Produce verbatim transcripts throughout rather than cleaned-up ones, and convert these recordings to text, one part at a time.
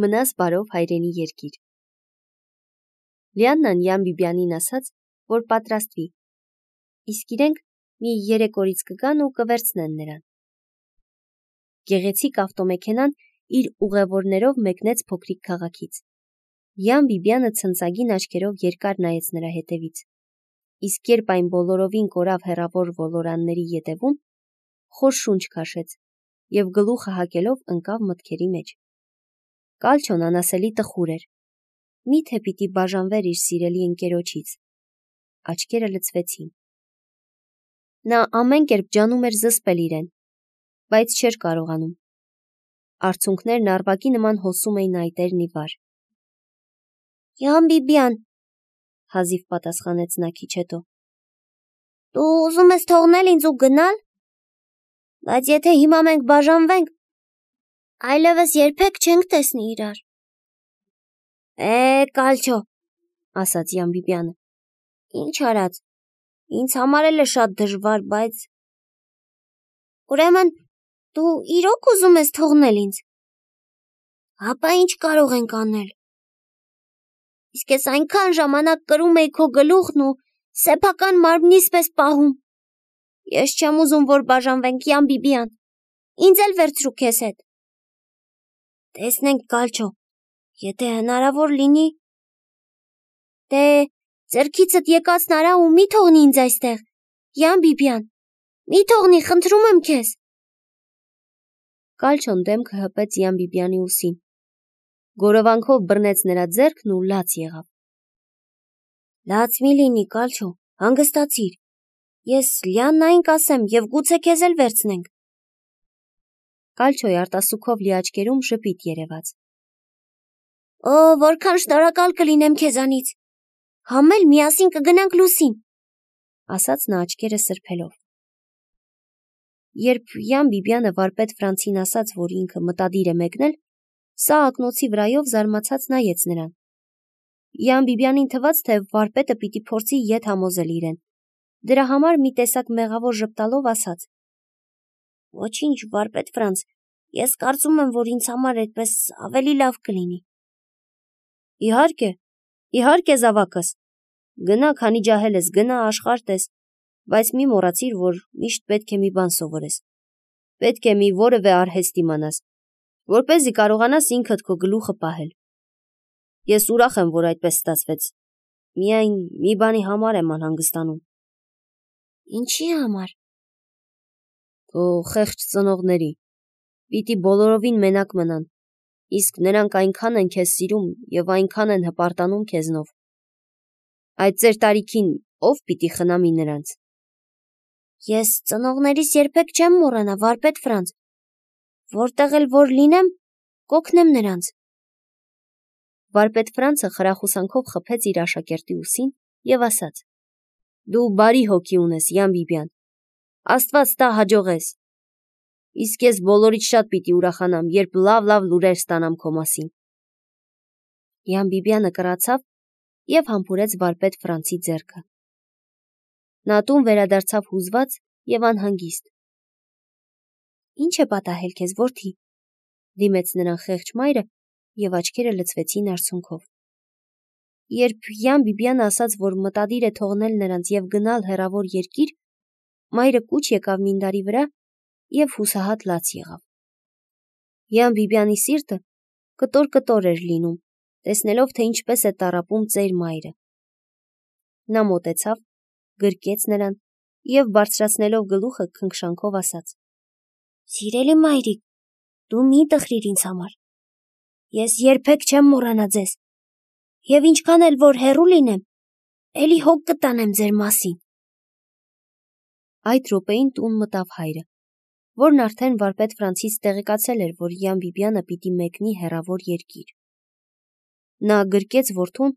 Մնաս բարով հայրենի երկիր։ Լիաննան Յան Բիբյանին ասաց, որ պատրաստվի, իսկ իրենք մի երեք օրից կգան ու կվերցնեն նրան։ Գեղեցիկ ավտոմեքենան իր ուղևորներով մեկնեց փոքրիկ քաղաքից։ Յան Բիբյանը ցնցագին աչքերով երկար նայեց նրա հետևից, իսկ երբ այն բոլորովին կորավ հեռավոր ոլորանների ետևում, խոր շունչ քաշեց և գլուխը հակելով ընկավ մտքերի մեջ։ Կալչոն անասելի տխուր էր, միթե պիտի բաժանվեր իր սիրելի ընկերոջից։ Աչքերը լցվեցին։ Նա ամեն կերպ ջանում էր զսպել իրեն, բայց չէր կարողանում։ Արցունքներն արվակի նման հոսում էին այտերն ի վար։ Յան Բիբյան, հազիվ պատասխանեց նա քիչ հետո։ Դու ուզում ես թողնել ինձ ու գնալ, բայց եթե հիմա մենք բաժանվենք, այլևս երբեք չենք տեսնի իրար։ Է, Կալչո, ասաց Յան Բիբյանը, ինչ արած, ինձ համար էլ է շատ դժվար, բայց… Ուրեմն, դու իրոք ուզում ես թողնել ինձ։ Հապա ինչ կարող ենք անել։ Իսկ ես այնքան ժամանակ կրում էի քո գլուխն ու սեփական մարմնիս պես պահում։ Ես չեմ ուզում, որ բաժանվենք, Յան Բիբյան, ինձ էլ վերցրու քեզ հետ։ Տեսնենք, Կալչո, եթե հնարավոր լինի… Դե, ձեռքիցդ եկածն արա ու մի թողնի ինձ այստեղ, Յան Բիբյան, մի թողնի, խնդրում եմ քեզ։ Կալչոն դեմքը հպեց Յան Բիբյանի ուսին, գորովանքով բռնեց նրա ձեռքն ու լաց եղավ։ Լաց մի լինի, Կալչո, հանգստացիր, ես Լիաննային կասեմ և գուցե քեզ էլ վերցնենք։ Կալչոյի արտասուքով լի աչքերում ժպիտ երևաց։ Օ, որքան շնորհակալ կլինեմ քեզանից, համել միասին կգնանք լուսին, ասաց նա աչքերը սրբելով։ Երբ Յան Բիբյանը վարպետ Ֆրանցին ասաց, որ ինքը մտադիր է մեկնել, սա ակնոցի վրայով զարմացած նայեց նրան։ Յան Բիբյանին թվաց, թե վարպետը պիտի փորձի ետ համոզել իրեն, դրա համար մի տեսակ մեղավոր ժպտալով ասաց. Ոչինչ, վարպետ Ֆրանց, ես կարծում եմ, որ ինձ համար այդպես ավելի լավ կլինի։ Իհարկե, իհարկե զավակս, գնա, քանի ջահել ես, գնա, աշխարհ տես, բայց մի մոռացիր, որ միշտ պետք է մի բան սովորես։ Պետք է մի որևէ արհեստ իմանաս, որպեսզի կարողանաս ինքդ քո գլուխը պահել։ Ես ուրախ եմ, որ այդպես ստացվեց, միայն մի բանի համար եմ անհանգստանում։ Ինչի համար։ Քո խեղճ ծնողների, պիտի բոլորովին մենակ մնան, իսկ նրանք այնքան են քեզ սիրում և այնքան են հպարտանում քեզնով։ Այդ ծեր տարիքին ով պիտի խնամի նրանց։ Ես ծնողներիս երբեք չեմ մոռանա, վարպետ Ֆրանց, որտեղ էլ որ լինեմ, կօգնեմ նրանց։ Վարպետ Ֆրանցը խրախուսանքով խփեց իր աշակերտի ուսին և ասաց. Դու բարի հոգի ունես, Յան Բիբյան, Աստված տա հաջողես։ Իսկ ես բոլորից շատ պիտի ուրախանամ, երբ լավ-լավ լուրեր ստանամ քո մասին։ Յան Բիբյանը կռացավ և համբուրեց վարպետ Ֆրանցի ձեռքը։ Նա տուն վերադարձավ հուզված և անհանգիստ։ Ինչ է պատահել քեզ, որդի, դիմեց նրան խեղճ մայրը և աչքերը լցվեցին արցունքով։ Երբ Յան Բիբյանը ասաց, որ մտադիր է թողնել նրանց և գնալ հեռավոր երկիր, մայրը կուչ եկավ մինդարի վրա և հուսահատ լաց եղավ։ Յան Բիբյանի սիրտը կտոր-կտոր էր լինում, տեսնելով, թե ինչպես է տառապում ծեր մայրը։ Նա մոտեցավ, գրկեց նրան և բարձրացնելով գլուխը քնքշանքով ասաց. Սիրելի մայրիկ, դու մի տխրիր ինձ համար։ Ես երբեք չեմ մոռանա ձեզ, և ինչքան էլ որ հեռու լինեմ, էլի հոգ կտանեմ ձեր մասին։ Այդ րոպեին տուն մտավ հայրը, որն արդեն վարպետ Ֆրանցից տեղեկացել էր, որ Յան Բիբյանը պիտի մեկնի հեռավոր երկիր։ Նա գրկեց որդուն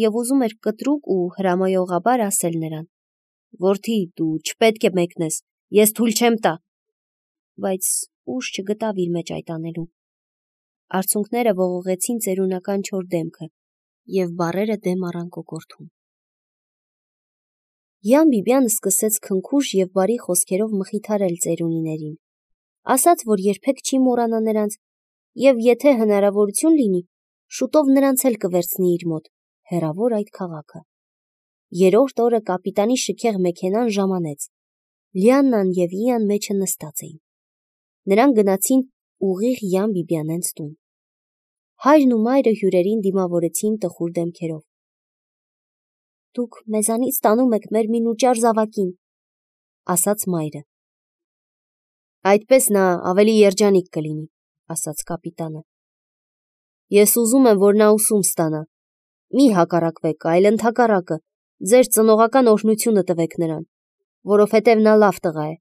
և ուզում էր կտրուկ ու հրամայողաբար ասել նրան. Որդի, դու չպետք է մեկնես, ես թույլ չեմ տա, բայց ուժ չգտավ իր մեջ այդ անելու։ Արցունքները ողողեցին ծերունական չոր դեմքը և բառերը դեմ առան կոկորդում։ Յան Բիբյանը սկսեց քնքուշ և բարի խոսքերով մխիթարել ծերունիներին, ասաց, որ երբեք չի մոռանա նրանց եւ եթե հնարավորություն լինի, շուտով նրանց էլ կվերցնի իր մոտ, հեռավոր այդ քաղաքը։ Երրորդ օրը կապիտանի շքեղ մեքենան ժամանեց։ Լիաննան եւ Իան մեջը նստած էին։ Նրանք գնացին ուղիղ Յան Բիբյանենց տուն։ Հայրն ու մայրը հյուրերին դիմավորեցին տխուր դեմքերով։ Դուք մեզանից տանում եք մեր մինուճար զավակին, ասաց մայրը։ Այդպես նա ավելի երջանիկ կլինի, ասաց կապիտանը։ Ես ուզում եմ, որ նա ուսում ստանա։ Մի հակառակվեք, այլ ընդհակառակը, ձեր ծնողական օրհնությունը տվեք նրան, որովհետև նա լավ տղա է։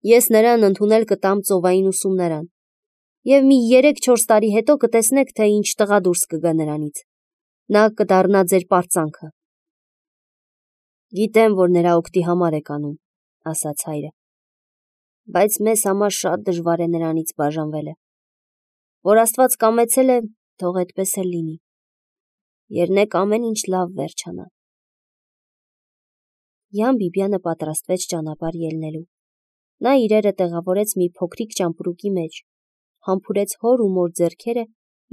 Ես նրան ընդունել կտամ ծովային ուսումնարան, եւ մի երեք-չորս տարի հետո կտեսնեք, թե ինչ տղա դուրս կգա նրանից։ Նա կդառնա ձեր պարծանքը։ Գիտեմ, որ նրա օգտի համար եք անում, ասաց հայրը, բայց մեզ համար շատ դժվար է նրանից բաժանվելը։ Որ Աստված կամեցել է, թող այդպես էլ լինի։ Եռնեք ամեն ինչ լավ վերջանա։ Յան Բիբյանը պատրաստվեց ճանապարհ ելնելու։ Նա իրերը տեղավորեց մի փոքրիկ ճամպրուկի մեջ, համբուրեց հոր ու մոր ձեռքերը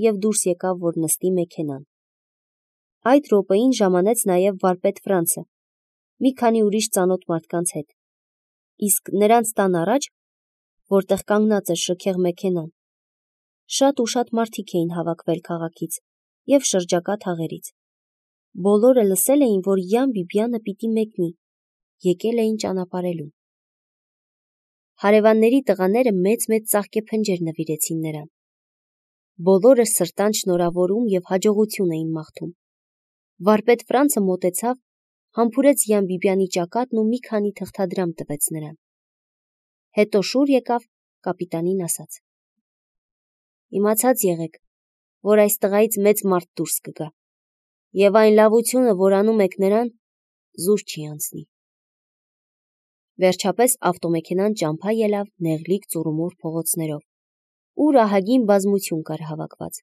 եւ դուրս եկավ, որ նստի մեքենան։ Այդ րոպեին ժամանեց նաեւ վարպետ Ֆրանցը, մի քանի ուրիշ ծանոթ մարդկանց հետ։ Իսկ նրանց տան առաջ, որտեղ կանգնած էր շքեղ մեքենան, շատ ու շատ մարդիկ էին հավաքվել քաղաքից եւ շրջակա թաղերից։ Բոլորը լսել էին, որ Յան Բիբյանը պիտի մեկնի, եկել էին ճանապարհելու։ Հարևանների տղաները մեծ-մեծ ծաղկեփնջեր նվիրեցին նրան։ Բոլորը սրտան շնորհավորում եւ հաջողություն էին մաղթում։ Վարպետ Ֆրանցը մոտեցավ, համբուրեց Յան Բիբյանի ճակատն ու մի քանի թղթադրամ տվեց նրան։ Հետո շուռ եկավ, կապիտանին ասաց. Իմացած եղեք, որ այս տղայից մեծ մարդ դուրս կգա, եւ այն լավությունը, որ անում եք նրան, զուր չի անցնի։ Վերջապես ավտոմեքենան ճամփա ելավ նեղլիկ ծուռումուռ փողոցներով, ուր ահագին բազմություն կար հավաքված։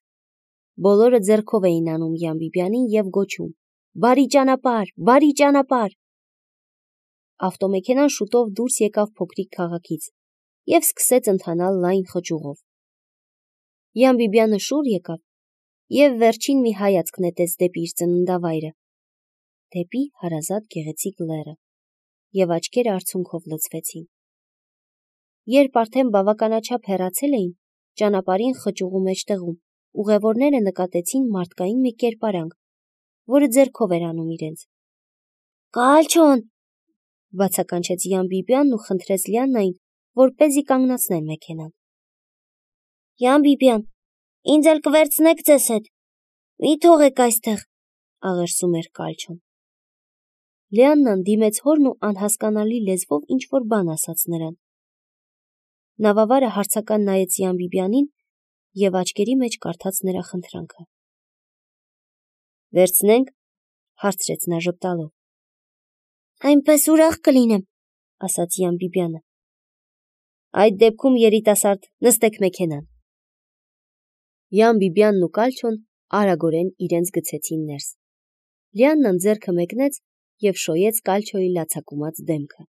Բոլորը ձեռքով էին անում Յան Բիբյանին եւ գոչում. Բարի ճանապարհ, բարի ճանապարհ։ Ավտոմեքենան շուտով դուրս եկավ փոքրիկ քաղաքից եւ սկսեց ընթանալ լայն խճուղով։ Յան Բիբյանը շուռ եկավ եւ վերջին մի հայացք նետեց դեպի իր ծննդավայրը, դեպի հարազատ գեղեցիկ լեռը, եւ աչքերը արցունքով լցվեցին։ Երբ արդեն բավականաչափ հեռացել էին, ճանապարհին խճուղու մեջտեղում ուղևորները նկատեցին մարդկային մի կերպարանք, որը ձեռքով էր անում իրենց։ Կալչոն, բացականչեց Յան Բիբյանն ու խնդրեց Լիաննային, որպեսզի կանգնացներ մեքենան։ Յան Բիբյան, ինձ էլ կվերցնեք ձեզ հետ։ Մի թողեք այստեղ, աղերսում էր Կալչոն։ Լիաննան դիմեց հորն ու անհասկանալի լեզվով ինչ-որ բան ասաց նրան։ Նավավարը հարցական նայեց Յան Բիբյանին եւ աչքերի մեջ կարդաց նրա խնդրանքը։ Վերցնենք, հարցրեց նա ժպտալով։ Այնպես ուրախ կլինեմ, ասաց Յան Բիբյանը։ Այդ դեպքում երիտասարդ նստեք մեքենան։ Յան Բիբյանն ու Կալչոն արագորեն իրենց գցեցին ներս։ Լիաննան ձեռքը մեկնեց եւ շոյեց Կալչոյի լացակումած դեմքը։